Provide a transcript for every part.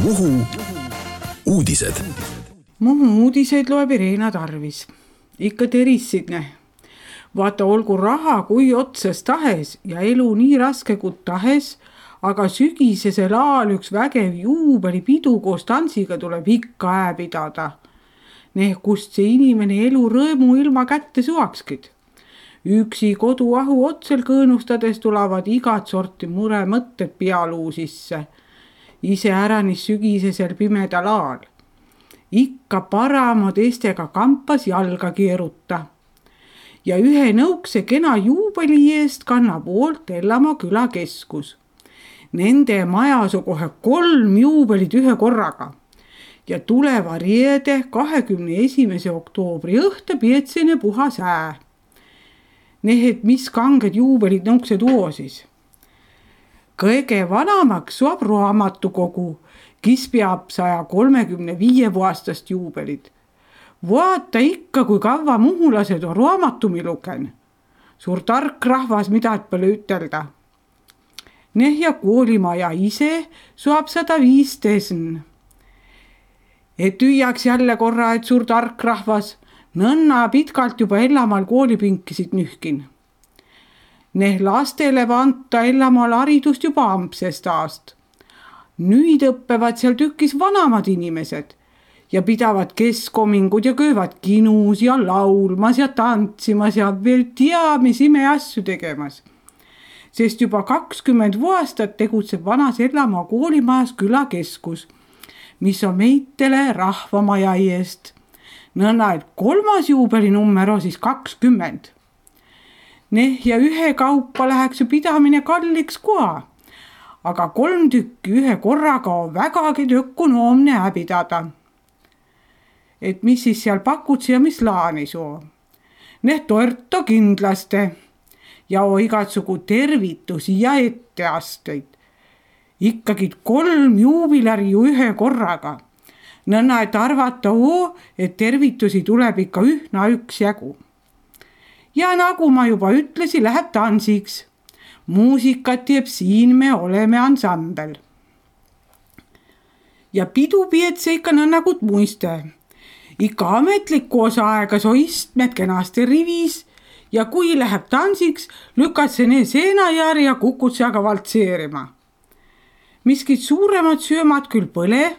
Muhu uudised. Muhu uudiseid loeb Irena Tarvis. Ikka terissidne. Vaata, olgu raha kui otsas tahes ja elu nii raske kui tahes, aga sügisesel aal üks vägev juubelipidu koos tantsiga tuleb ikka pidada. Kust see inimene elu rõõmu ilma kätte suakskid. Üksi koduahu otsel kõõnustades tulevad igat sorti mure mõtted pealuu sisse. Ise äranis sügisesel pimedal aal. Ikka parama teistega kampas jalga keeruta. Ja ühe nõukse kena juubeli eest kannab hoolt Ellamaa külakeskus. Nende majas on kohe 3 juubelit ühe korraga. Ja tuleva reede 21. oktoobri õhta pietsene puhas ää. Need mis kanged juubelid nõukse tuo siis. Kõige vanamaks suab raamatukogu, kes peab 135 aastast juubelit. Vaata ikka, kui kaua muhulased on raamatumi lugen. Suur tark rahvas, mida pole ütelda. Ja koolimaja ise suab 105 tesn. Et hüüaks jälle korra, et suur tark rahvas, nõnna pitkalt juba Ellamaal koolipinkisid nühkin. Lastele anta Ellamaal haridust juba ampsest aast. Nüüd õppevad seal tükis vanamad inimesed ja pidavad keskomingud ja köövad kinus ja laulmas ja tantsimas ja veel mis ime asju tegemas. Sest juba 20 aastat tegutseb vanas Ellamaa koolimajas külakeskus, mis on meitele rahvamaja eest. Nõnna, et 3. juubelinummer on siis 20. Ja ühe kaupa läheks ju pidamine kalliks koha, aga 3 tükki ühe korraga on vägagi ökonoomne pidada. Et mis siis seal pakutsi ja mis laani soo? Torto kindlasti ja igatsugu tervitusi ja etteasteid. Ikkagi 3 juubilari ju ühe korraga. Nõnna, et arvata et tervitusi tuleb ikka ühna üksjagu. Ja nagu ma juba ütlesin, läheb tansiks. Muusikat teeb siin me oleme ansambel. Ja pidu pietse ikka nõnnakut muiste. Ikka ametliku osa aega so istmed kenasti rivis ja kui läheb tansiks, lükad see ne seenajärg ja kukud seaga valtseerima. Miskid suuremad söömad küll põle,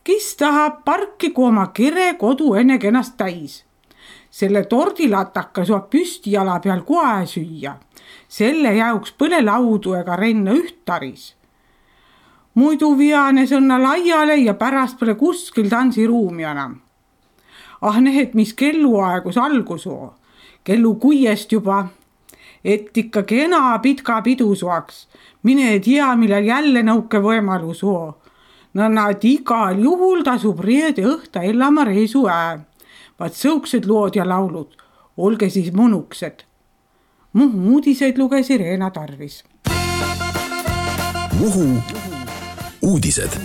kes tahab parkigu oma kere kodu enne kenast täis. Selle tordilataka suab püsti jala peal kohe süüa. Selle jauks põle laudu ega renna ühtaris. Muidu viane sõnna laiale ja pärast pole kuskil tansiruumi enam. Need mis kelluaegus algus oo. Kellu 6 juba. Et ikka kena pitka pidu suaks. Mine tea, millal jälle nõuke võimalus oo. Nõnna, et igal juhul tasub reede õhta Ellamaa reisu Vaat sõuksed lood ja laulud. Olge siis mõnuksed. Muhu uudiseid luges Irena Tarvis. Muhu uudised.